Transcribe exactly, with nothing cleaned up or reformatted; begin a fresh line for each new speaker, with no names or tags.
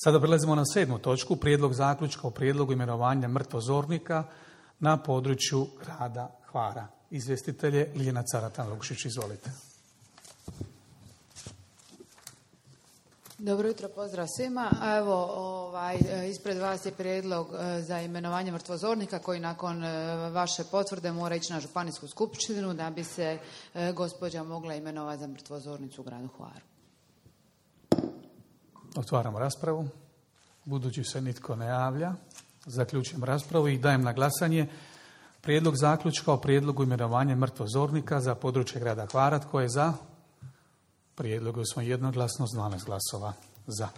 Sada prelazimo na sedmu točku, prijedlog zaključka o prijedlogu imenovanja mrtvozornika na području grada Hvara. Izvjestitelj je Ljiljana Caratan-Lukšić, izvolite.
Dobro jutro, pozdrav svima. Evo, ovaj, ispred vas je prijedlog za imenovanje mrtvozornika koji nakon vaše potvrde mora ići na županijsku skupštinu da bi se gospođa mogla imenovati za mrtvozornicu u gradu Hvaru.
Otvaramo raspravu. Budući se nitko ne javlja, zaključujem raspravu i dajem na glasanje prijedlog zaključka o prijedlogu imenovanja mrtvozornika za područje grada Hvara. Tko je za? Prijedlog smo jednoglasno s dvanaest glasova za.